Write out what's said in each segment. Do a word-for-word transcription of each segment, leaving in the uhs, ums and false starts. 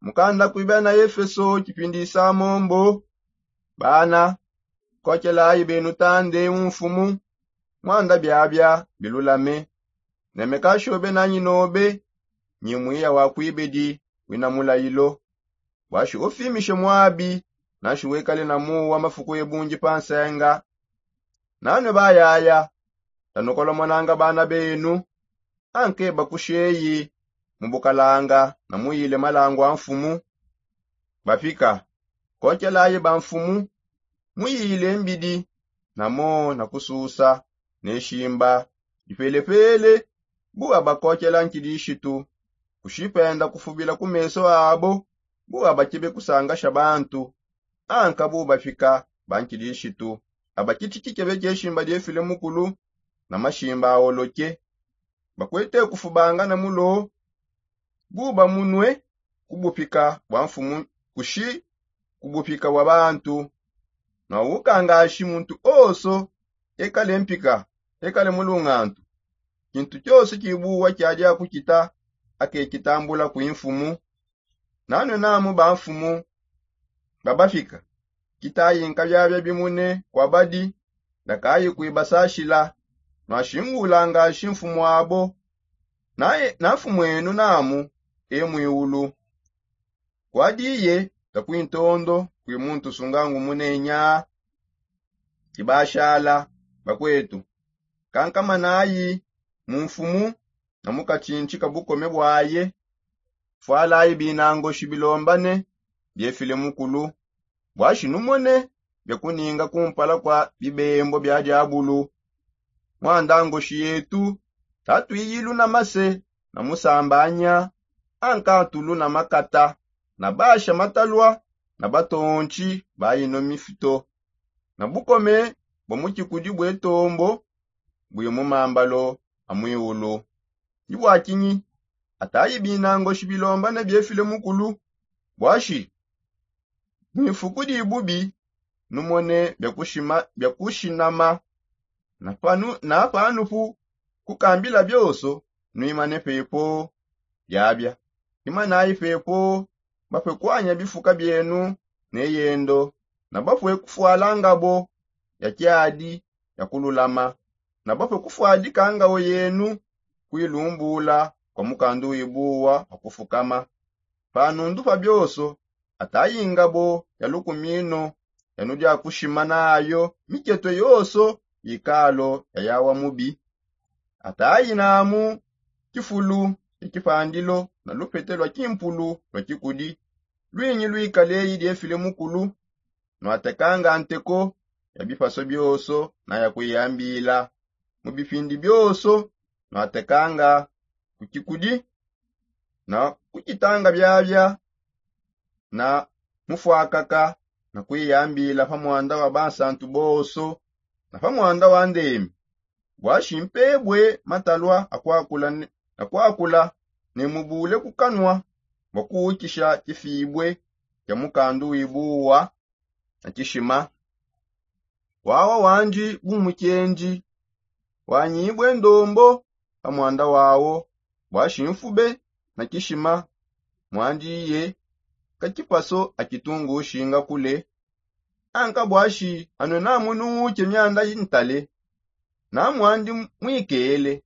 Mukanda kuibia na efeso kipindi samombo. Bana, kokelayi benu tande umfumu, mwanda biabia bilulame. Nemekashobe nanyi nobe, nyi mwiya wa kuibedi wina mulayilo. Bwashi ufimishe mwabi, nanshi wekale na muwa mafuku ebungi pa nsenga. Nanwe bayaya, tanukolomonanga bana benu, anke bakusheyi mu bukalanga na muyile malangu a mfumu. Bapika, kokelayi ba mfumu, muyile mbidi, namo na kususa ne shimba dipelepele. Bu abakokela nkilishitu, kushipenda kufubila ku meso abo, bu abakebe kusangasha bantu, anka bu bapika ba nkilishitu, abakitiki kebe keshimba diefile mukulu na mashimba awoloke. Bakwete kufubanga na mulo, buba munwe kubupika bwa mfumu, kushi kubupika bwa bantu. Nwa ukangashi muntu oso, ekale mpika, ekale mulungantu. Kintu kyose kibuwa kyadi akukita, akekitambula kwi mfumu. Nanwe namu ba mfumu babafika, kitayi nkabyabya bimune kwa badi, ndakayi kwibasashila. Nwashingulanga shi mfumu abo, naye na mfumu enu namu e mwiulu. Kwadiye takwintondo kwi muntu sungangu munenya. Kibashala bakwetu, kankamanayi mu mfumu na mukatshintshi ka bukome bwaye. Fwalayi binangoshi bilombane biefile mukulu, bwashi numone bia kuninga kumpala kwa bibembo bia diabulu. Mwandangoshi yetu, tatuiyilu na mase na musambanya, ankantulu na makata, na basha matalwa, na batontshi ba ino mifito, na bukome bua mu tshikudi bue tombo bui mu mambalo a mwiulu. Ndi bua kinyi atayi binangoshi bilombane biefile mukulu? Bwashi mu ifuku di bubi, numone bia kushinama, na panupu kukambila bioso, nuimane pepo. Diabia imanayi pepo, bapue kuanya bifuka bienu ne yendo, na bapue kufwala ngabo ya kiadi ya kululama, na bapue kufwadika ngao yenu kuilumbula kwa mukandu wibuwa wa kufukama. Panundu pa bioso, atayi ngabo ya lukumino, yanu dia kushima nayo miketue yoso ikalo ya yawa mubi. Atayi namu kifulu kipandilo na lupete lua kimpulu lua kikudi, luinyi luikaleyi diefile mukulu. Nwatekanga nteko ya bipaso bioso na ya kuiyambila. Mu bipindi bioso nwatekanga ku kikudi na kukitanga biabia na mufwakaka, na kuiyambila pa mwanda wa bansantu boso na pa mwanda wa ndemi. Bwashi mpebue matalwa a kuakula ne, na kuakula ne mubule ku kanua bua kuukisha kifibue kia mukandu wibuwa na kishima. Wawa wandi bu mukendi, wanyibue ndombo pa mwanda wawo, bwashi mfube na kishima. Mwandi ye ka kipaso a kitungu ushinga kule. Anka bwashi anue namu nuuke mianda intale, na mwandi mwikele.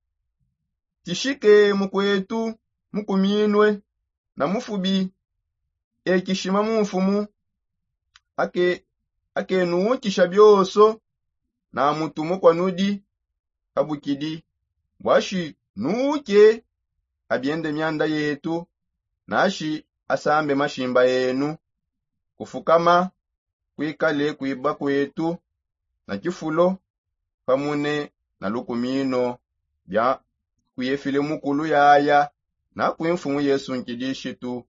Tishike mukwetu mukuminue na mufubi, e kishima mu mfumu, ake akenuukisha bioso, na mutu mukua nudi kabukidi. Bwashi nuuke abiende mianda yetu, nashi asambe mashimba enu. Kufukama kuikale kuiba kwetu na kifulo pamune na lukumino bia kuye file mukulu yaya na kwi mfumu yesu nkidishitu.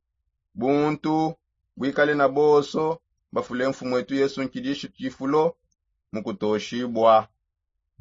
Buntu buikale na bonso bafule mfumu etu yesu nkidishitu kifulo mu kutoshibua.